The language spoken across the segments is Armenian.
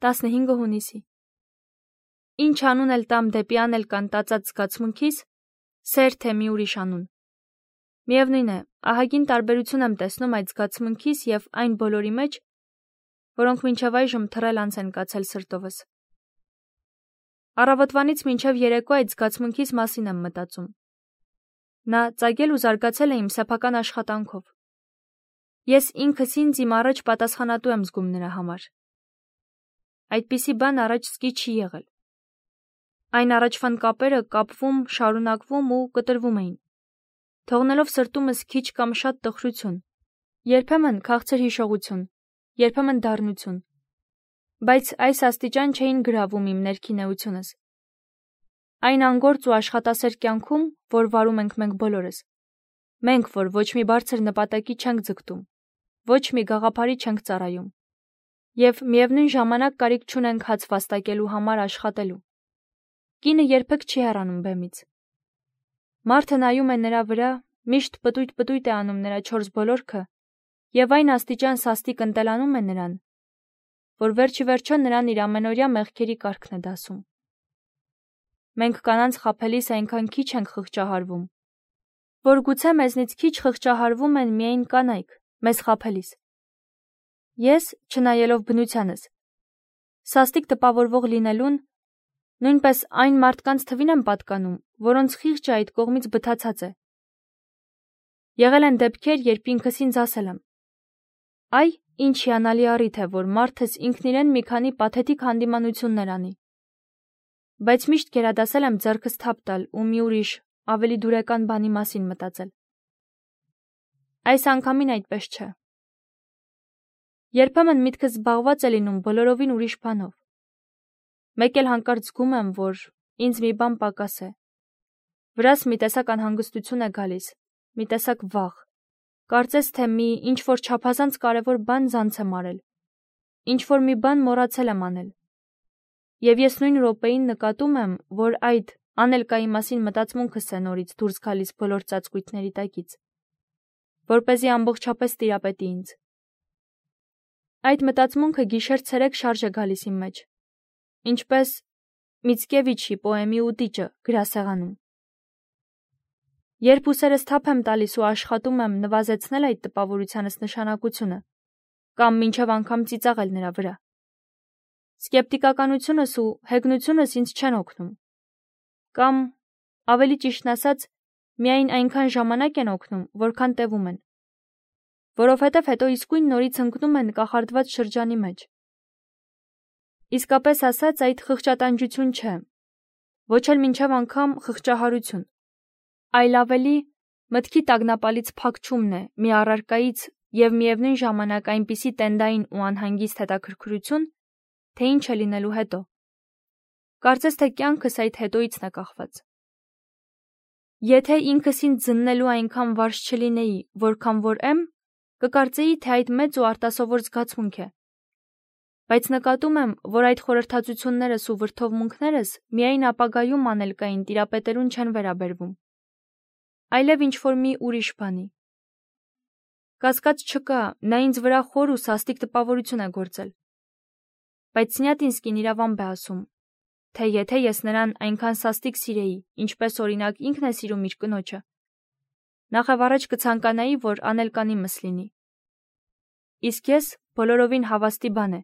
15 հունիսի։ Ինչ անուն էլ տամ դեպի անել կան տածած զգացմունքիս, սեր թե մի ուրիշ անուն։ Միևնույն է, ահագին տարբերություն եմ տեսնում այդ զգացմունքիս և այն բոլորի մեջ, որոնք մինչև այժմ թռել անց են կացել սրտովս։ Առավոտվանից մինչև երեկո այդ զգացմունքիս մասին եմ մտածում։ Նա ծագել ու զարգացել է իմ սեփական աշխատանքով։ Ես ինքս ինձ իմ առաջ պատասխանատու եմ զգում նրա համար։ Այդպիսի բան առաջ սկի չի եղել։ Այն առաջվան կապերը կապվում, շարունակվում ու կտրվում էին, թողնելով սրտումս քիչ կամ շատ տխրություն, երբեմն քաղցր հիշողություն, երբեմն դառնություն, բայց այս աստիճան չէին գրավում իմ ներքին էությունս։ Այն անգործ ու աշխատասեր կյանքում, որ վարում ենք մենք բոլորս, մենք, որ ոչ մի բարձր նպատակի չենք ձգտում, ոչ մի գաղափարի չենք ծառայում, և միևնույն ժամանակ կարիք չունենք հաց վաստակելու համար աշխատելու։ Կինը երբեք չի հեռանում բեմից։ Մարդը նայում է նրա վրա, միշտ պտույտ է անում նրա 4 բոլորքը, և այն աստիճան սաստիկ ընտելանում է նրան, որ վերջիվերջո նրան իր ամենօրյա մեղքերի կարգն է դասում։ Մենք կանանց խաբելիս այնքան քիչ ենք խղճահարվում, որ գուցե մեզնից քիչ խղճահարվում են միայն կանայք, մեզ խաբելիս։ Ես, չնայելով բնությանս, սաստիկ տպավորվող լինելուն, նույնպես այն մարդկանց թվին եմ պատկանում, որոնց խիղճը այդ կողմից բթացած է։ Եղել են դեպքեր, երբ ինքս ինձ ասել եմ. «Այ, ինչ հիանալի առիթ է, որ մարդս ինքն իրեն մի քանի պաթետիկ հանդիմանություններ անի»։ Բայց միշտ գերադասել եմ ձեռքս թափ տալ ու մի ուրիշ, ավելի դուրեկան բանի մասին մտածել։ Այս անգամին այդպես չէ։ Երբեմն միտքս զբաղված է լինում բոլորովին ուրիշ բանով։ Մեկ էլ հանկարծ զգում եմ, որ ինձ մի բան պակաս է։ Վրաս մի տեսակ անհանգստություն է գալիս, մի տեսակ վախ։ Կարծես թե մի ինչ-որ չափազանց կարևոր բան զանց եմ արել, ինչ-որ մի բան մոռացել եմ անել։ Եվ ես նույն րոպեին նկատում եմ, որ այդ անելկայի մասին մտածմունքս է նորից դուրս գալիս բոլոր ծածկույթների տակից, որպեսզի ամբողջապես տիրապետի ինձ։ Այդ մտածմունքը գիշեր-ցերեկ շարժ է գալիս իմ մեջ, ինչպես Միցկևիչի պոեմի ուտիճը գրասեղանում։ Երբ ուսերս թափ եմ տալիս ու աշխատում եմ նվազեցնել այդ տպավորությանս նշանակությունը, կամ մինչև անգամ ծիծաղել նրա վրա, սկեպտիկականությունս ու հեգնությունս ինձ չեն օգնում, կամ, ավելի ճիշտն ասած, միայն այնքան ժամանակ են օգնում, որքան տևում են, որովհետև հետո իսկույն նորից ընկնում են կախարդված շրջանի մեջ։ Իսկապես ասած, այդ խղճատանջություն չէ, ոչ էլ մինչև անգամ խղճահարություն, այլ ավելի մտքի տագնապալից փակչումն է մի առարկայից և միևնույն ժամանակ այնպիսի տենդային ու անհանգիստ հետաքրքրություն, թե ինչ է լինելու հետո։ Կարծես թե կյանքս այդ հետոյիցն է կախված։ Եթե ինքս ինձ զննելու այնքան վարժ չլինեի, որքան որ եմ, կկարծեի, թե այդ մեծ ու արտասովոր զգացմունք է։ Բայց նկատում եմ, որ այդ խորհրդածություններս ու վրդովմունքներս միայն ապագայում անելկային տիրապետելուն չեն վերաբերվում, այլև ինչ-որ մի ուրիշ բանի։ Կասկած չկա, նա ինձ վրա խոր ու սաստիկ տպավորություն է գործել։ Բայց Սնյատինսկին իրավամբ է ասում, թե եթե ես նրան այնքան սաստիկ սիրեի, ինչպես օրինակ ինքն է սիրում իր կնոջը, նախավառաջ կցանկանայի, որ անելկան իմս լինի։ Իսկ ես բոլորովին հավաստի բան է։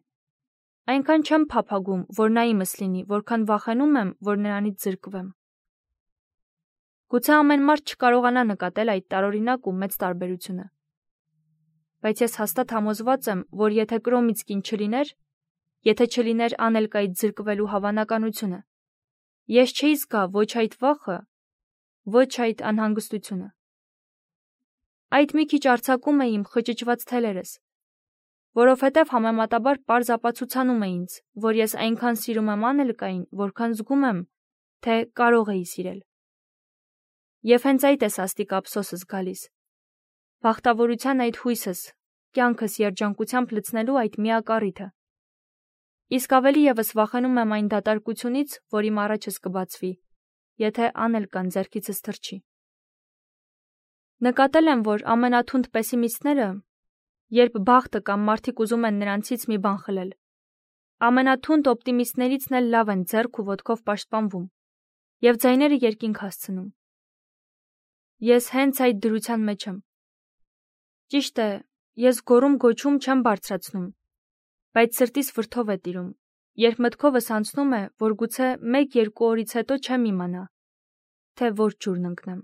Այնքան չեմ փափագում, որ նա իմս լինի, որքան վախենում եմ, որ նրանից զրկվեմ։ Գուցե ամեն մարդ չկարողանա նկատել այդ տարօրինակ ու մեծ տարբերությունը։ Բայց ես հաստատ համոզված եմ, որ եթե կրոմից կին չլիներ, եթե չլիներ անելկայից զրկվելու հավանականությունը, ես չէի զգա ոչ այդ վախը, ոչ այդ անհանգստությունը։ Այդ մի քիչ արձակում է իմ խճճված թելերս, որովհետև համեմատաբար պարզ ապացուցանում է ինձ, որ ես այնքան սիրում եմ անելկային, որքան զգում եմ, թե կարող էի սիրել։ Եվ հենց այդ է սաստիկ ափսոսս գալիս։ Բախտավորության այդ հույսս, կյանքս երջանկությամբ լցնելու այդ միակ առիթը։ Իսկ ավելի ևս վախենում եմ այն դատարկությունից, որ իմ առաջս կբացվի, եթե անելկան ձեռքիցս թռչի։ Նկատել եմ, որ ամենաթունդ պեսիմիստները, երբ բախտը կամ մարդիկ ուզում են նրանցից մի բան խլել, Ամենաթունդ օպտիմիստներիցն էլ լավ են ձեռք ու ոտքով պաշտպանվում և ձայները երկինք հասցնում։ Ես հենց այդ դրության մեջ եմ։ Ճիշտ է, ես գոռում-գոչում չեմ բարձրացնում, բայց սրտիս վրդով է տիրում, երբ մտքովս անցնում է, որ գուցե 1-2 օրից հետո չեմ իմանա, թե որ ջուրն ընկնեմ։